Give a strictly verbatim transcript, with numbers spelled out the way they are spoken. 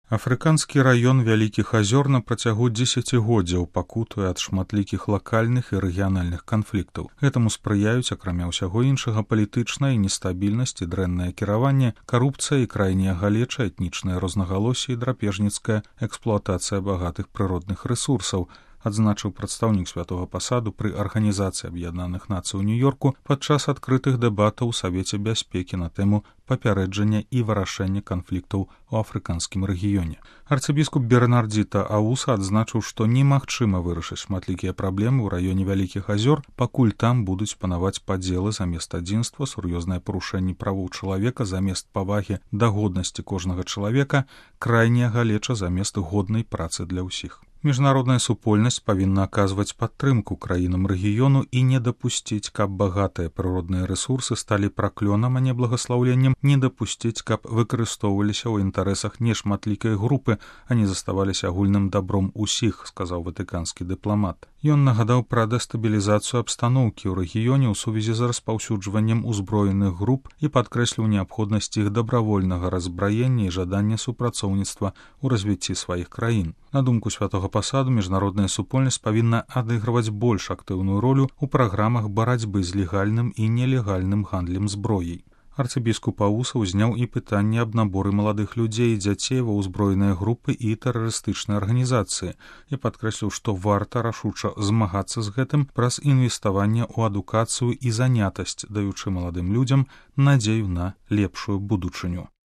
Афрыканскі раён вялікіх азёр на працягу дзесяцігоддзяў пакутуе ад шматлікіх лакальных і рэгіянальных канфліктаў. Гэтаму спрыяюць, акрамя ўсяго іншага, палітычная нестабільнасць і дрэннае кіраванне, карупцыя і крайняя галеча, этнічнае рознагалоссі і драпежніцкая эксплуатацыя багатых прыродных рэсурсаў, адзначыў прадстаўнік святога пасаду пры Арганізацыі Аб'яднаных Нацый у Нью-Йорку падчас адкрытых дэбатаў у Савеце бяспекі на тэму папярэджання і вырашэння канфліктаў у афрыканскім рэгіёне. Арцыбіскуп Бернардзіта Ауса адзначыў, што немагчыма вырашыць шматлікія праблемы ў раёне вялікіх азёр, пакуль там будуць панаваць падзелы замест адзінства, сур'ёзнае парушэнне правоў чалавека замест павагі да годнасці кожнага чалавека, крайняя галеча замест годнай працы для ўсіх. Міжнародная супольнасць павінна аказваць падтрымку краінам рэгіёну і не дапусціць, каб багатыя прыродныя рэсурсы сталі праклёнам, а не благаслаўленнем, не дапусціць, каб выкарыстоўваліся ў інтарэсах нешматлікай групы, а не заставаліся агульным дабром усіх, сказаў ватыканскі дыпламат. Ён нагадаў пра дэстабілізацыю абстаноўкі ў рэгіёне ў сувязі з распаўсюджваннем узброеных груп і падкрэсліў неабходнасць іх дабравольнага разбраення і жадання супрацоўніцтва ў развіцці сваіх краін. На думку святога пасаду, міжнародная супольнасць павінна адыгрываць больш актыўную ролю ў праграмах барацьбы з легальным і нелегальным гандлем зброяй. Арцыбіскуп Ауса ўзняў і пытанне аб наборы маладых людзей і дзяцей ва ўзброеныя групы і тэрарыстычныя арганізацыі і падкрэсліў, што варта рашуча змагацца з гэтым праз інвеставанне ў адукацыю і занятасць, даючы маладым людзям надзею на лепшую будучыню.